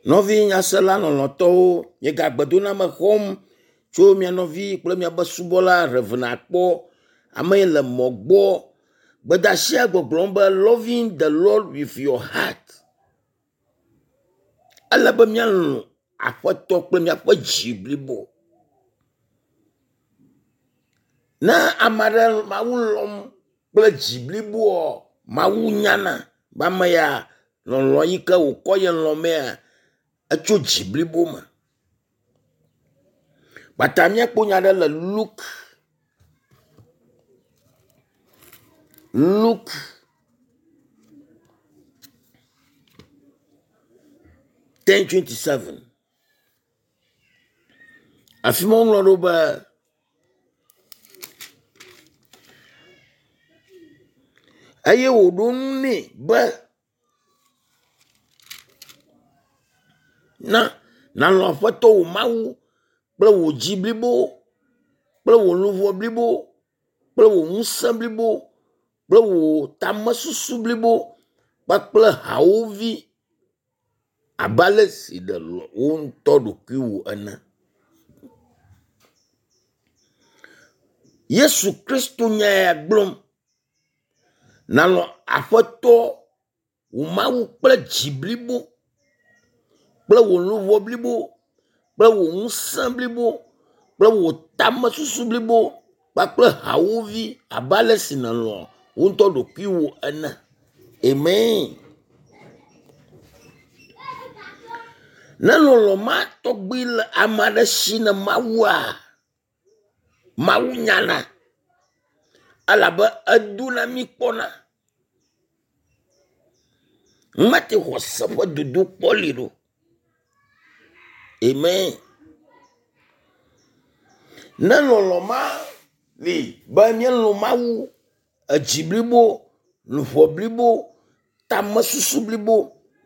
Nɔvi nyasela lɔlɔ̃tɔwo, miegagbe doname xɔm tso mia nɔvi kple miaƒe subɔla Rev. Akpɔ, ame yi le mɔ gbɔ. Gbedasia gbɔgblɔm be loving the Lord with your heart. Ele be míalɔ̃ Aƒetɔ kple míaƒe dzi blibo. Ne ame aɖe Mawu lɔ̃m kple dzi bliboa, Mawu nyana be ame ya lɔlɔ̃ yi ke wòkɔ ye lɔ̃mea, etso dzi blibo me. Kpata míakpɔ nya ɖe le Luke Luke 10:27. Afi ma woŋlɔ ɖo be eye wòɖo ŋu nɛ be na nàlɔ̃ Aƒetɔ wò Mawu kple wò dzi blibo kple wò luʋɔ blibo kple wò ŋusẽ blibo kple wò tamesusu blibo kpakple hawòvi abe ale si nèlɔ̃ wò ŋutɔ ɖokuiwò ene. Yesu Kristo nya ya gblɔm. Nàlɔ̃ Aƒetɔ wò Mawu kple dzi blibo kple wò luʋɔ blibo kple wò ŋusẽ blibo kple wò tamesusu blibo kpakple hawòvi abe ale si nèlɔ̃ wò ŋutɔ ɖokuiwò ene. Amen. Ne lɔlɔ̃ ma tɔgbi le ame aɖe si ne Mawua, Mawu nyana elabe edona mí kpɔna. Mate xɔse ƒe dodokpɔ li ɖo. Amen. Ne lɔlɔ̃ ma li be míelɔ̃ Mawu edzi blibo, luʋɔ blibo, tamesusu blibo,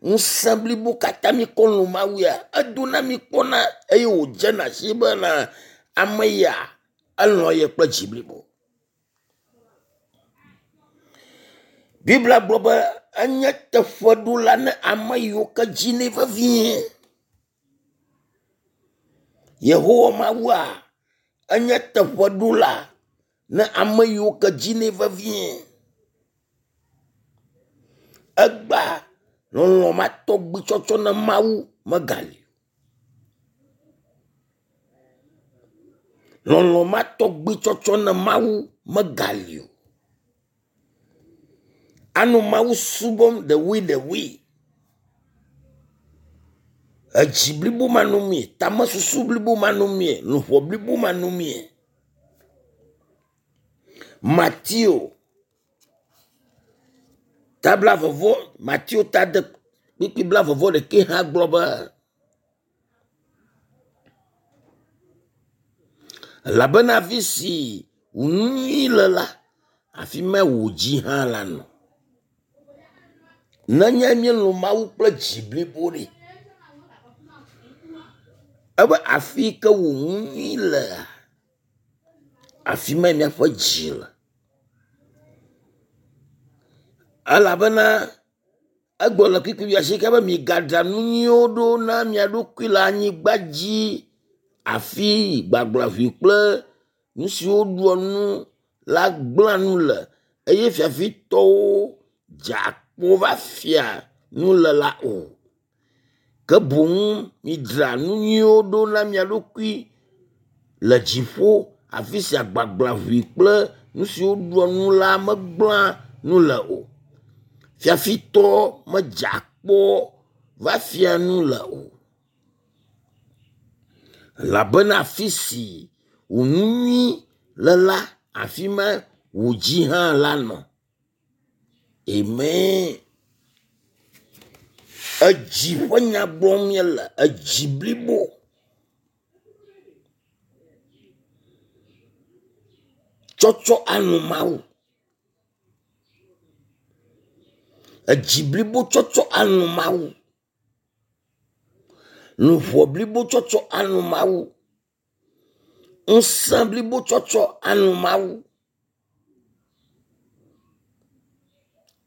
ŋusẽ blibo katã míekɔ lɔ̃ Mawu ya, edona mí kpɔna eye wòdzena si bena ame ya elɔ̃ ye kple dzi blibo. Biblia gblɔ be enye teƒeɖola ne ame yiwo ke dzinɛ vevie. Yehowa Mawua enye teƒeɖola ne ame yiwo ke dzinɛ vevie. Egbea lɔlɔ̃ ma tɔgbi tsɔtsɔ na Mawu megali o. Lɔlɔ̃ ma tɔgbi tsɔtsɔ na Mawu megali o. Anɔ Mawu subɔm ɖewoe. Edzi blibo manɔmee, tamesusu blibo manɔmee, luʋɔ blibo manɔmee. Mateo ta blavevɔ Mateo ta de kpukpui blavevɔ ɖekɛ hã gblɔ be elabena afi si wò nu nyui le la, afi mae wò dzi hã la nɔ. Nenye míelɔ̃ Mawu kple dzi blibo ɖe, ebe afi yi ke wò nu nyui lea, afi mae míaƒe dzi le. Elabena egblɔ le kpukpui wuiasieke be migadra nu nyuiwo ɖo na mia ɖokui le anyigba dzi afi gbagblaʋui kple nu siwo ɖua nu la gblẽa nu le eye fiafitɔwo dze akpo va fia nu le la o. Ke boŋ midzra nu nyuiwo ɖo na mia ɖokui le dziƒo afi sia gbagblaʋui kple nu siwo ɖua nu la megblẽa nu le o. Fiafitɔ medze akpɔ va fia nu le o. Elabena afi si wò nu nyui le la, afi ma wò dzi hã la nɔ. Amen. Edzi ƒe nya gblɔm míele, edzi blibo. Tsɔtsɔ alɔ̃ Mawu. Edzi blibo tsɔtsɔ alɔ̃ Mawu. Luʋɔ blibo tsɔtsɔ alɔ̃ Mawu. Ŋusẽ blibo tsɔtsɔ alɔ̃ Mawu.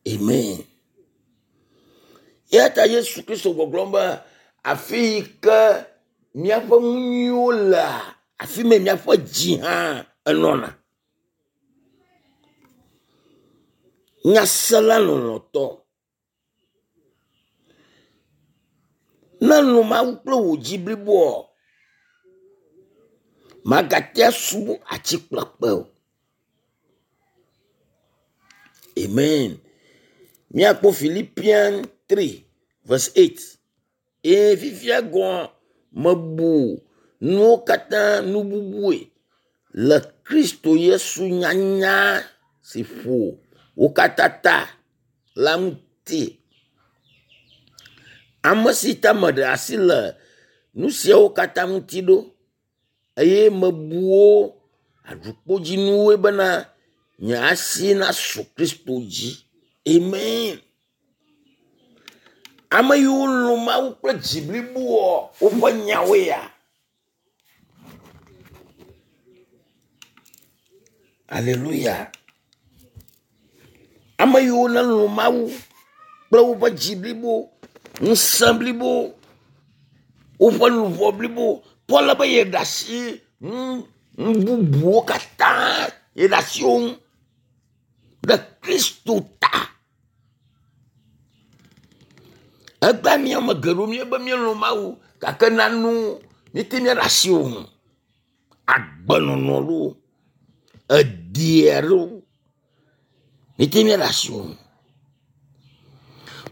Amen. Eya ta Yesu Kristo gbɔgblɔm be Afi yi ke míaƒe nu nyuiwo lea, afi mae míaƒe dzi hã enɔna. Nyasela lɔlɔ̃tɔ, ne èlɔ̃ Mawu kple wò dzi bliboa, màgate asubɔ atikplakpe o. Amen. Míakpɔ Philippians 3 verse 8. Eye fifia gɔ̃ mebu nuwo katã nu bubue le Kristo Yesu nyanya si ƒo wo katã ta la ŋuti. Ame si ta meɖe asi le nu siawo katã ŋuti ɖo eye mebu wo aɖukpodzinuwoe bena nye asi nasu Kristo dzi. Amen. Ame yiwo lɔ̃ Mawu kple dzi bliboa, woƒe nyawoe ya. Aleluya. Ame yiwo nelɔ̃ Mawu kple woƒe dzi blibo, ŋusẽ blibo, woƒe luʋɔ blibo. Paul be yeɖe asi nu bubuwo katã yeɖe asi wo ŋu ɖe Kristo ta. Egbea mía ame geɖewo míebe míelɔ̃ Mawu gake nane míete míaɖe asi wo ŋu. Agbenɔnɔ loo, edia loo, míete míaɖe asi wo ŋu.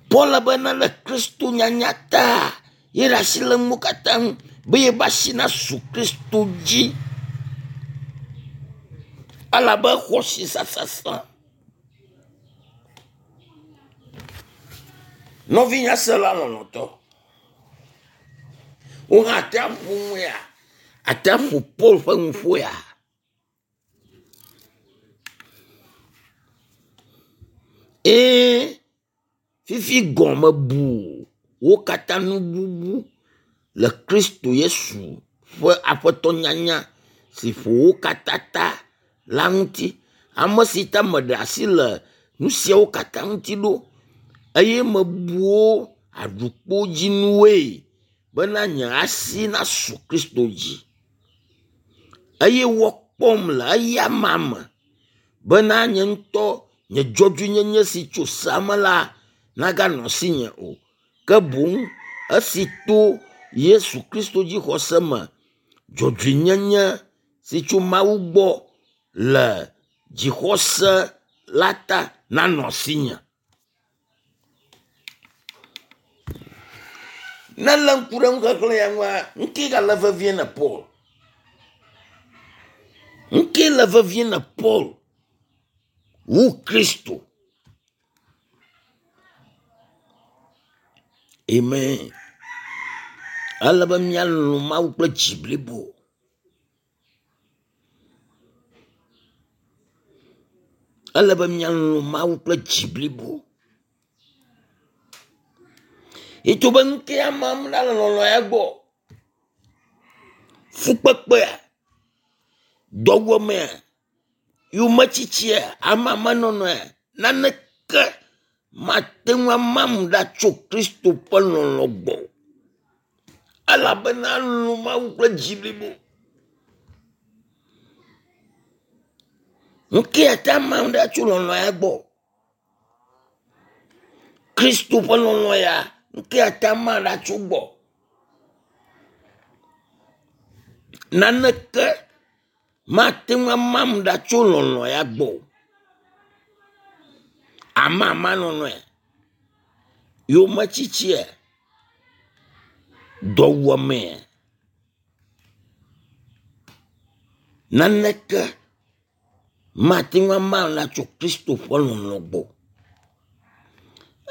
Paul bena le Kristo nyanya ta ye ɖe asi le nuwo katã ŋu be yeƒe asi nasu Kristo dzi. Elabe exɔ asi sasasã. Nɔvi nyasela lɔlɔ̃tɔ, wò hã àte aƒo nu ya, àte aƒo Paul ƒe nuƒo ya. Ee, fifi gɔ̃ mebu wo katã nu bubu le Kristo Yesu ƒe aƒetɔ nyanya si ƒo wo katã ta la ŋuti. Ame si ta meɖe asi le nu siawo katã ŋuti ɖo eye mebu wo aɖukpodzinuwoe bena nye asi nasu Kristo dzi. Eye woakpɔm le eyama me bena nye ŋutɔ nye dzɔdzɔenyenye si tso sea me la naganɔ asinye o, ke boŋ esi to Yesu Kristo dzixɔse me dzɔdzɔenyenye si tso Mawu gbɔ le dzixɔse la ta nanɔ asinye. Ne lé ŋku ɖe nuxexlẽ ya ŋua, nu kae gale vevie na Paul? Nu kae le vevie na Paul wu Kristo? Amen. Ele be míalɔ̃ Mawu kple dzi blibo. Ele be míalɔ̃ Mawu kple dzi blibo. Ito be nu ke amam ɖa le lɔlɔ̃ ya gbɔ. Fukpekpea, dɔwuamea, yometsitsia, amamenɔnɔea, naneke mate ŋu amam ɖa tso Kristo ƒe lɔlɔ̃ gbɔ o. Elabena elɔ̃ Mawu kple dzi blibo. Nu ke ate amam ɖa tso lɔlɔ̃ ya gbɔ? Kristo ƒe lɔlɔ̃ ya, nu ke ate ama ɖa tso gbɔ? Naneke mate ŋu amam ɖa tso lɔlɔ̃ ya gbɔ o. Amamanɔnɔe, yometsitsia, dɔwuamea, naneke mate ŋu ama ɖa tso Kristo ƒe lɔlɔ̃ gbɔ.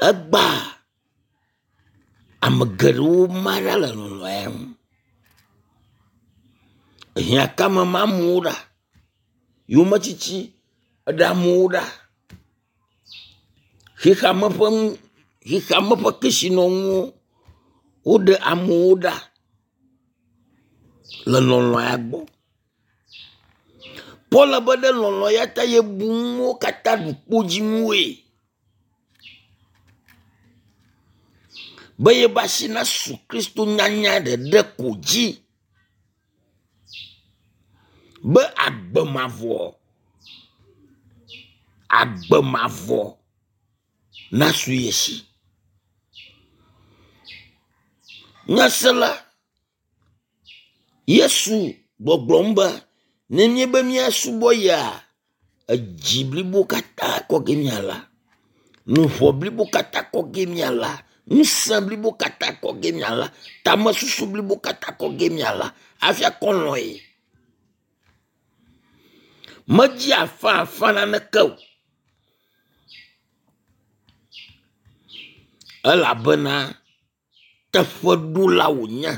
Egbea ame geɖewo ma ɖa le lɔlɔ̃ ya ŋu. Ehiãkame ma amewo ɖa, yometsitsi eɖe amewo ɖa, xexeame ƒe nu xexeame ƒe kesinɔnuwo woɖe amewo ɖa le lɔlɔ̃ ya gbɔ. Paul be ɖe lɔlɔ̃ ya ta yebu nuwo katã ɖu kpodzinuwoe. Be yebe asi nasu Kristo nyanya ɖeɖe ko dzi. Be agbe mavɔ, agbe mavɔ nasu ye si. Nyasela, Yesu gbɔgblɔm be ne míebe míasubɔ yea, edzi blibo katã kɔ ge míala, luʋɔ blibo katã kɔ ge míala, ŋusẽ blibo katã kɔ ge míala, tamesusu blibo katã kɔ ge míala hafi akɔ lɔ̃ ye. Medzi afã afã naneke o. Elabena teƒeɖola wònye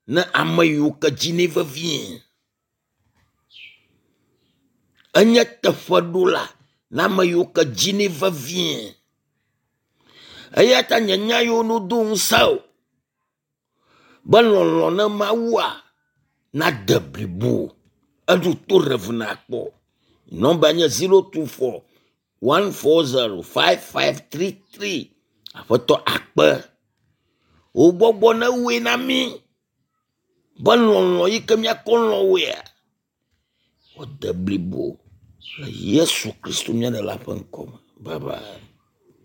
ne ame yiwo ke dinɛ vevie. Enye teƒeɖola na ame yiwo ke dinɛ vevie. Eya ta nye nya yiwo nodo ŋusẽ o be lɔlɔ̃ ne Mawua nade blibo. Eɖo to ɖe nakpɔ. Nɔmba nye 024 140 5533. Aƒetɔ akpe. Wò gbɔgbɔ newɔe na mí be lɔlɔ̃ yi ke míakɔ lɔ̃ wòea, wòade blibo le Yesu Kristo mía Ɖela ƒe ŋkɔ me. Bye bye.